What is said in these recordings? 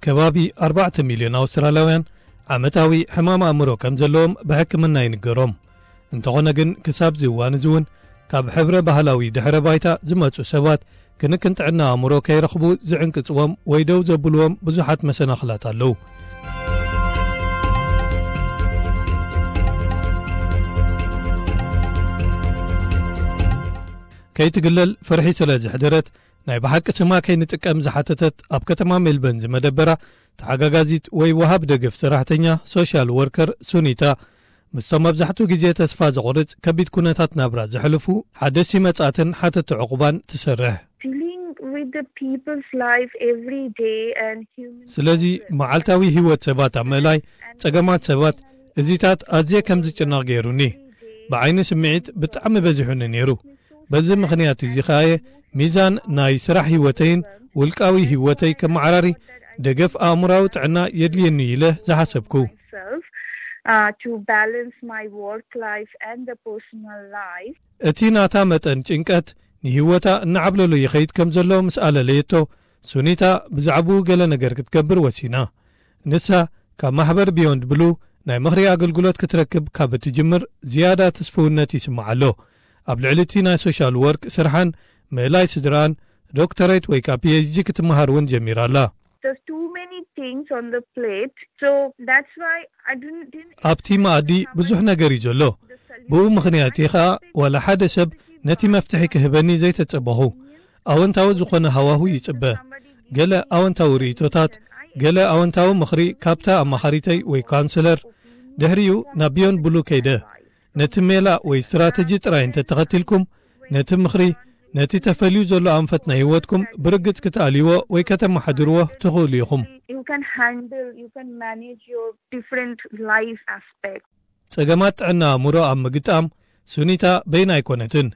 ከባቢ ኣርባዕተ ሚልዮን ኣውስትራልያውያን ዓመታዊ ሕማም ኣእምሮ ከም ዘለዎም ብሕክምና ይንገሮም። እንተኾነ ግን፣ ክሳብ እዚ እዋን እዚ እውን ካብ ሕብረ ባህላዊ ድሕረ ባይታ ዝመጹ ሰባት ክንክን ጥዕና ኣእምሮ ከይረኽቡ ዝዕንቅጽዎም ወይ ደው ዘብልዎም ብዙሓት መሰናኽላት ኣለዉ። ከይትግለል ፍርሒ ስለ ዘሕደረት፣ ናይ ብሓቂ ስማ ከይንጥቀም ዝሓተተት ኣብ ከተማ ሜልበርን ዝመደበራ ተሓጋጋዚት ወይ ወሃብ ደገፍ ሰራሕተኛ፣ ሶሻል ወርከር ሱኒታ፣ ምስቶም መብዛሕትኡ ግዜ ተስፋ ዘቑርጽ ከቢድ ኩነታት ናብራ ዘሕልፉ ሓደስቲ መጻእትን ሓተቲ ዕቑባን ትሰርሕ። Dealing with the people's life every day and human ስለዚ መዓልታዊ ህይወት ሰባት ኣብ ምእላይ፣ ጸገማት ሰባት፣ እዚታት ኣዝየ ከም ዝጭነቕ ገይሩኒ። ብዓይኒ ስምዒት ብጣዕሚ በዚሑኒ ነይሩ። በዚ ምኽንያት እዚ ኸኣየ ሚዛን ናይ ስራሕ ህይወተይን ውልቃዊ ህይወተይ ከመዓራሪ ደገፍ ኣእምራዊ ጥዕና የድልየኒ ኢለ ዝሓሰብኩ። Myself, uh, to balance my work life and the personal life. እቲ ናታ መጠን ጭንቀት ንህይወታ እናዓብለሎ ይኸይድ ከም ዘሎ ምስ ኣለለየቶ፣ ሱኒታ ብዛዕባኡ ገለ ነገር ክትገብር ወሲና። ንሳ ካብ ማሕበር ቢዮንድ ብሉ ናይ ምኽሪ ኣገልግሎት ክትረክብ ካብ እትጅምር ዝያዳ ትስፍውነት ይስምዓ ኣሎ። ኣብ ልዕሊ እቲ ናይ ሶሻል ወርክ ስርሓን ምእላይ ስድራን ዶክተሬት ወይ ከኣ ፒ ኤች ዲ ክትመሃር እውን ጀሚራ ኣላ። There's too many things on the plate, so that's why I didn't, didn't ኣብቲ መኣዲ ብዙሕ ነገር እዩ ዘሎ። ብኡ ምኽንያት እዩ ኸኣ ዋላ ሓደ ሰብ ነቲ መፍትሒ ክህበኒ ዘይተጸበኹ። ኣወንታዊ ዝኾነ ሃዋሁ ይጽበ። ገለ ኣወንታዊ ርእይቶታት፣ ገለ ኣወንታዊ ምኽሪ ካብታ ኣማኻሪተይ ወይ ካውንስለር። ድሕሪኡ ናብ ቢዮንድ ብሉ ከይደ። ነቲ ሜላ ወይ ስትራተጂ ጥራይ እንተተኸቲልኩም፣ ነቲ ምኽሪ፣ ነቲ ተፈልዩ ዘሎ ኣንፈት ናይ ህይወትኩም ብርግጽ ክትኣልይዎ ወይ ከተመሓድርዎ ትኽእሉ ኢኹም። You can handle, you can manage your different life aspects. ጸገማት ጥዕና ኣእምሮ ኣብ ምግጣም ሱኒታ በይና ኣይኮነትን።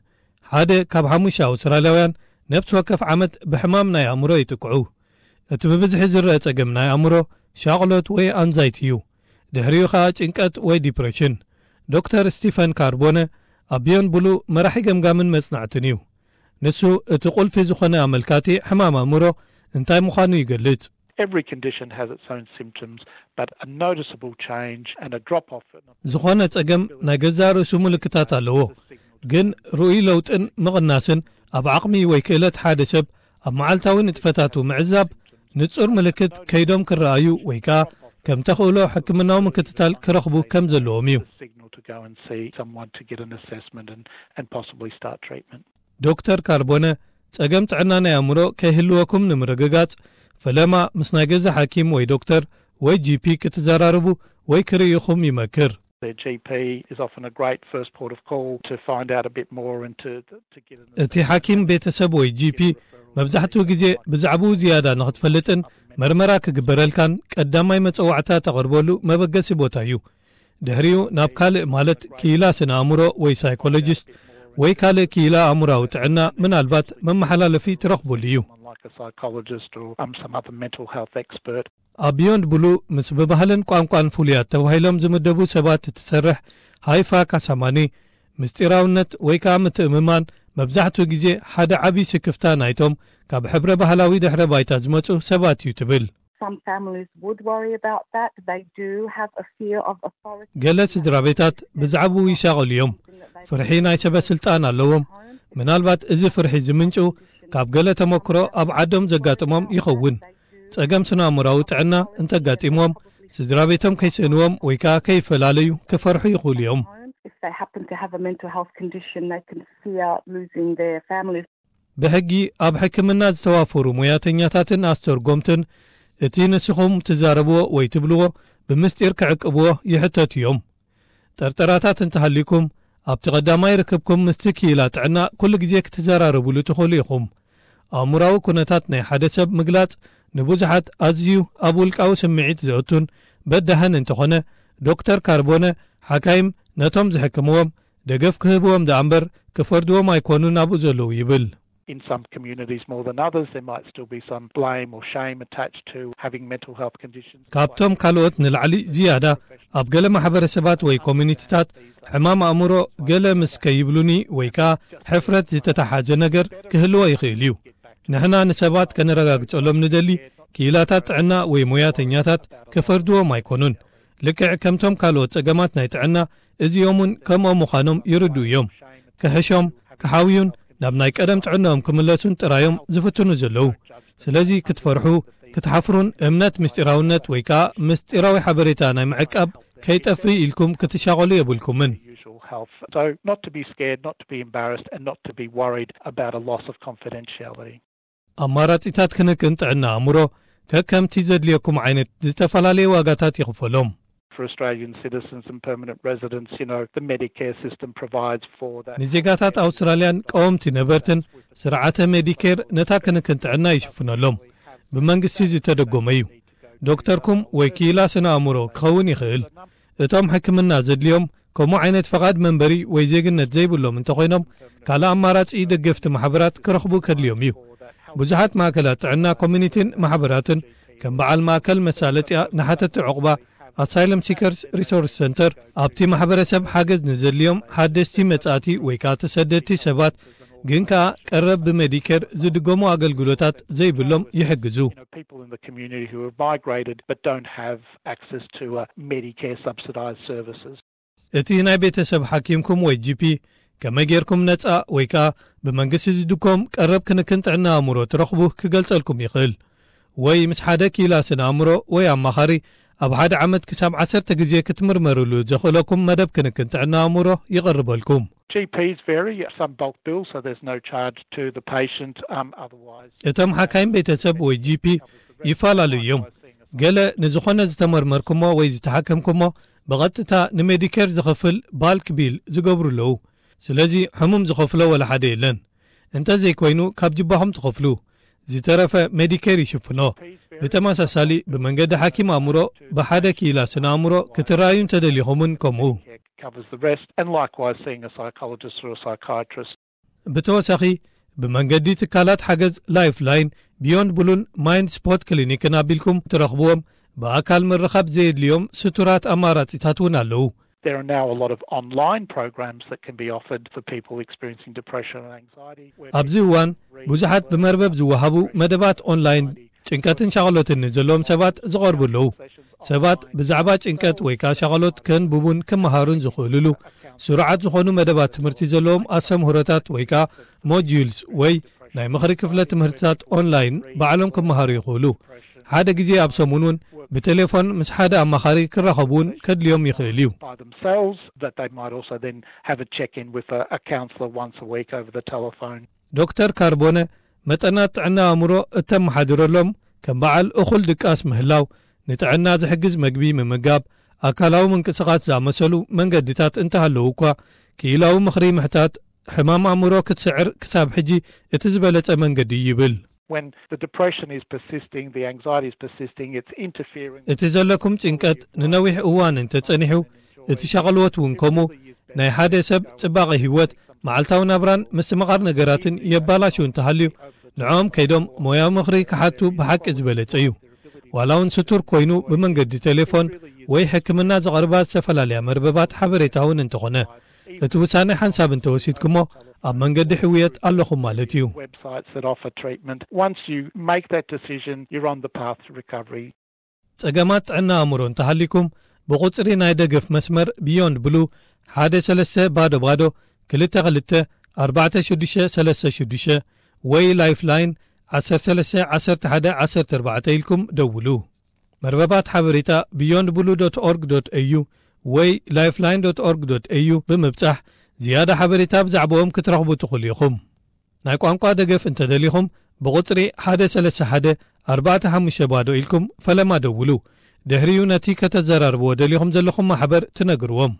ሓደ ካብ ሓሙሽተ ኣውስትራልያውያን ነፍሲ ወከፍ ዓመት ብሕማም ናይ ኣእምሮ ይጥቅዑ። እቲ ብብዝሒ ዝረአ ጸገም ናይ ኣእምሮ ሻቕሎት ወይ ኣንዛይቲ እዩ። ድሕሪኡ ኸኣ ጭንቀት ወይ ዲፕሬሽን። ዶክተር ስቲፈን ካርቦነ ኣብ ቢዮንድ ብሉ መራሒ ገምጋምን መጽናዕትን እዩ። ንሱ እቲ ቁልፊ ዝኾነ ኣመልካቲ ሕማም ኣእምሮ እንታይ ምዃኑ ይገልጽ። Every condition has its own symptoms, but a noticeable change and a drop off. ዝኾነ ጸገም ናይ ገዛእ ርእሱ ምልክታት ኣለዎ፣ ግን ርኡይ ለውጥን ምቕናስን ኣብ ዓቕሚ ወይ ክእለት ሓደ ሰብ ኣብ መዓልታዊ ንጥፈታቱ ምዕዛብ ንጹር ምልክት ከይዶም ክረኣዩ ወይ ከኣ ከም ተኽእሎ ሕክምናዊ ምክትታል ክረኽቡ ከም ዘለዎም እዩ። Signal to go and see someone to get an assessment and, and possibly start treatment. ዶክተር ካርቦነ፣ ጸገም ጥዕና ናይ ኣእምሮ ከይህልወኩም ንምርግጋጽ፣ ፈለማ ምስ ናይ ገዛ ሓኪም ወይ ዶክተር ወይ ጂ ፒ ክትዘራረቡ ወይ ክርእይኹም ይመክር። The G P is often a great first port of call to find out a bit more and to, to get an እቲ ሓኪም ቤተሰብ ወይ ጂ ፒ መብዛሕትኡ ግዜ ብዛዕባኡ ዝያዳ ንኽትፈልጥን መርመራ ክግበረልካን ቀዳማይ መጸዋዕታ ተቐርበሉ መበገሲ ቦታ እዩ። ድሕሪኡ ናብ ካልእ ማለት ክኢላ ስነ ኣእምሮ ወይ ሳይኮሎጂስት ወይ ካልእ ክኢላ ኣእምሮኣዊ ጥዕና ምናልባት መመሓላለፊ ትረኽቡሉ እዩ። Like a psychologist or, um, some other mental health expert. ኣብ ቢዮንድ ብሉ ምስ ብባህልን ቋንቋን ፍሉያት ተባሂሎም ዝምደቡ ሰባት እትሰርሕ ሃይፋ ካሳማኒ፣ ምስጢራውነት ወይ ከኣ ምትእምማን መብዛሕትኡ ግዜ ሓደ ዓቢ ስክፍታ ናይቶም ካብ ሕብረ ባህላዊ ድሕረ ባይታ ዝመጹ ሰባት እዩ ትብል። Some families would worry about that. They do have a fear of authority. ገለ ስድራ ቤታት ብዛዕባኡ ይሻቐሉ እዮም። ፍርሒ ናይ ሰበ ስልጣን ኣለዎም። ምናልባት እዚ ፍርሒ ዝምንጩ ካብ ገለ ተመክሮ ኣብ ዓዶም ዘጋጥሞም ይኸውን። ጸገም ስነ-ኣእምሮኣዊ ጥዕና እንተጋጢምዎም፣ ስድራ ቤቶም ከይስእንዎም ወይ ከኣ ከይፈላለዩ ክፈርሑ ይኽእሉ እዮም። If they happen to have a mental health condition, they can fear losing their family. ብሕጊ ኣብ ሕክምና ዝተዋፈሩ ሞያተኛታትን ኣስተርጎምትን እቲ ንስኹም ትዛረብዎ ወይ ትብልዎ ብምስጢር ክዕቅብዎ ይሕተቱ እዮም። ጠርጠራታት እንተሃልዩኩም፣ ኣብቲ ቀዳማይ ርክብኩም ምስቲ ክኢላ ጥዕና ኩሉ ግዜ ክትዘራረቡሉ ትኽእሉ ኢኹም። ኣእምሮኣዊ ኩነታት ናይ ሓደ ሰብ ምግላጽ ንብዙሓት ኣዝዩ ኣብ ውልቃዊ ስምዒት ዘእቱን በዳህን እንተኾነ፣ ዶክተር ካርቦነ፣ ሓካይም ነቶም ዝሕክምዎም ደገፍ ክህብዎም ደኣ እምበር ክፈርድዎም ኣይኮኑን ኣብኡ ዘለዉ ይብል። In some communities more than others, there might still be some blame or shame attached to having mental health conditions. ካብቶም ካልኦት ንላዕሊ ዝያዳ ኣብ ገለ ማሕበረሰባት ወይ ኮሚኒቲታት ሕማም ኣእምሮ ገለ ምስ ከይብሉኒ ወይ ከኣ ሕፍረት ዝተተሓዘ ነገር ክህልዎ ይኽእል እዩ። ንሕና ንሰባት ከነረጋግጸሎም ንደሊ ክኢላታት ጥዕና ወይ ሞያተኛታት ክፈርድዎም ኣይኮኑን። ልክዕ ከምቶም ካልኦት ጸገማት ናይ ጥዕና፣ እዚኦም እውን ከምኦም ምዃኖም ይርድኡ እዮም። ክሕሾም፣ ክሓውዩን ናብ ናይ ቀደም ጥዕናኦም ክምለሱን ጥራዮም ዝፍትኑ ዘለዉ። ስለዚ ክትፈርሑ፣ ክትሓፍሩን እምነት ምስጢራውነት ወይ ከኣ ምስጢራዊ ሓበሬታ ናይ ምዕቃብ ከይጠፍእ ኢልኩም ክትሻቐሉ የብልኩምን። Usual health. So not to be scared, not to be embarrassed, and not to be worried about a loss of confidentiality. ኣማራጺታት ክንክን ጥዕና ኣእምሮ ከከምቲ ዘድልየኩም ዓይነት ዝተፈላለየ ዋጋታት ይኽፈሎም። For Australian citizens and permanent residents, you know, the Medicare system provides for that. ንዜጋታት ኣውስትራልያን ቀወምቲ ነበርትን ስርዓተ ሜዲኬር ነታ ክንክን ጥዕና ይሽፍነሎም። ብመንግስቲ ዝተደጎመ እዩ። ዶክተርኩም ወይ ክኢላ ስነ ኣእምሮ ክኸውን ይኽእል። እቶም ሕክምና ዘድልዮም፣ ከምኡ ዓይነት ፈቓድ መንበሪ ወይ ዜግነት ዘይብሎም እንተኾይኖም፣ ካልእ ኣማራጺ ደገፍቲ ማሕበራት ክረኽቡ ከድልዮም እዩ። ብዙሓት ማእከላት ጥዕና ኮሚኒቲን ማሕበራትን፣ ከም በዓል ማእከል መሳለጥያ ንሓተቲ ዕቑባ፣ ኣሳይለም ሲከርስ ሪሶርስ ሰንተር፣ ኣብቲ ማሕበረሰብ ሓገዝ ንዘድልዮም ሓደስቲ መጻእቲ ወይ ከኣ ተሰደድቲ ሰባት፣ ግን ከኣ ቀረብ ብሜዲኬር ዝድገሙ ኣገልግሎታት ዘይብሎም ይሕግዙ። You know, people in the community who have migrated but don't have access to uh, Medicare subsidised services. እቲ ናይ ቤተሰብ ሓኪምኩም ወይ ጂ ፒ ከመይ ጌርኩም ነጻ ወይ ከኣ ብመንግስቲ ዝድጎም ቀረብ ክንክን ጥዕና ኣእምሮ ትረኽቡ ክገልጸልኩም ይኽእል። ወይ ምስ ሓደ ክኢላ ስነ ኣእምሮ ወይ ኣማኻሪ ኣብ ሓደ ዓመት ክሳብ ዓሰርተ ግዜ ክትምርመርሉ ዘኽእለኩም መደብ ክንክን ጥዕና ኣእምሮ ይቐርበልኩም። G Ps vary, some bulk bills, so there's no charge to the patient. Um, otherwise, እቶም ሓካይም ቤተሰብ ወይ ጂ ፒ ይፈላለዩ እዮም። ገለ ንዝኾነ ዝተመርመርኩሞ ወይ ዝተሓከምኩሞ ብቐጥታ ንሜዲኬር ዝኸፍል ባልክ ቢል ዝገብሩ ኣለዉ። ስለዚ ሕሙም ዝኸፍሎ ወላ ሓደ የለን። እንተዘይኮይኑ ካብ ጅባኹም ትኸፍሉ። ዝተረፈ ሜዲኬር ይሽፍኖ። ብተመሳሳሊ ብመንገዲ ሓኪም ኣእምሮ ብሓደ ክኢላ ስነ ኣእምሮ ክትረኣዩ እንተደሊኹምን ከምኡ። Covers the rest, and likewise seeing a psychologist or a psychiatrist. ብተወሳኺ ብመንገዲ ትካላት ሓገዝ ላይፍላይን፣ ቢዮንድ ብሉን ማይንድ ስፖት ክሊኒክን ኣቢልኩም ትረኽብዎም ብኣካል ምርኻብ ዘየድልዮም ስቱራት ኣማራጺታት እውን ኣለዉ። There are now a lot of online programs that can be offered for people experiencing depression and anxiety. ኣብዚ እዋን ብዙሓት ብመርበብ ዝወሃቡ መደባት ኦንላይን ጭንቀትን ሻቕሎትን ንዘለዎም ሰባት ዝቐርቡ ኣለዉ። ሰባት ብዛዕባ ጭንቀት ወይ ከኣ ሻቕሎት ከንብቡን ክመሃሩን ዝኽእሉሉ ስሩዓት ዝኾኑ መደባት ትምህርቲ ዘለዎም ኣስተምህሮታት ወይ ከኣ ሞጁልስ ወይ ናይ ምኽሪ ክፍለ ትምህርትታት ኦንላይን ባዕሎም ክመሃሩ ይኽእሉ። ሓደ ግዜ ኣብ ሰሙን እውን ብቴሌፎን ምስ ሓደ ኣማኻሪ ክራኸቡ እውን ከድልዮም ይኽእል እዩ። By themselves, that they might also then have a check in with a, a counsellor once a week over the telephone. ዶክተር ካርቦነ መጠናት ጥዕና ኣእምሮ እተመሓድረሎም ከም በዓል እኹል ድቃስ ምህላው፣ ንጥዕና ዝሕግዝ መግቢ ምምጋብ፣ ኣካላዊ ምንቅስቓስ ዝኣመሰሉ መንገድታት እንተሃለዉ እኳ፣ ክኢላዊ ምኽሪ ምሕታት ሕማም ኣእምሮ ክትስዕር ክሳብ ሕጂ እቲ ዝበለጸ መንገዲ እዩ ይብል። When the depression is persisting, the anxiety is persisting, it's interfering. እቲ ዘለኩም ጭንቀት ንነዊሕ እዋን እንተጸኒሑ፣ እቲ ሻቕልወት እውን ከምኡ፣ ናይ ሓደ ሰብ ጽባቐ ህይወት፣ መዓልታዊ ናብራን ምስትምቓር ነገራትን የባላሹ እንተሃልዩ፣ ንዕኦም ከይዶም ሞያዊ ምኽሪ ክሓቱ ብሓቂ ዝበለጸ እዩ። ዋላ እውን ስቱር ኮይኑ ብመንገዲ ቴሌፎን ወይ ሕክምና ዘቕርባ ዝተፈላለያ መርበባት ሓበሬታ እውን እንተኾነ፣ እቲ ውሳነ ሓንሳብ እንተወሲድኩሞ ኣብ መንገዲ ሕውየት ኣለኹም ማለት እዩ። Websites that offer treatment. Once you make that decision, you're on the path to recovery. ጸገማት ጥዕና ኣእምሮ እንተሃሊኩም ብቑጽሪ ናይ ደገፍ መስመር ቢዮንድ ብሉ ሓደ ሰለስተ ባዶ ባዶ ክልተ ክልተ ኣርባዕተ ሽዱሽተ ሰለስተ ሽዱሽተ ወይ ላይፍላይን ዓሰርተ ሰለስተ ዓሰርተ ሓደ ዓሰርተ ኣርባዕተ ኢልኩም ደውሉ። መርበባት ሓበሬታ ቢዮንድ ብሉ ዶት ኦርግ ዶት ኤዩ ወይ ላይፍላይን ዶት ኦርግ ዶት ኤዩ ብምብጻሕ ዝያዳ ሓበሬታ ብዛዕባኦም ክትረኽቡ ትኽእሉ ኢኹም። ናይ ቋንቋ ደገፍ እንተደሊኹም ብቑጽሪ ሓደ ሰለስተ ሓደ ኣርባዕተ ሓሙሽተ ባዶ ኢልኩም ፈለማ ደውሉ። ድሕሪኡ ነቲ ከተዘራርብዎ ደሊኹም ዘለኹም ማሕበር ትነግርዎም።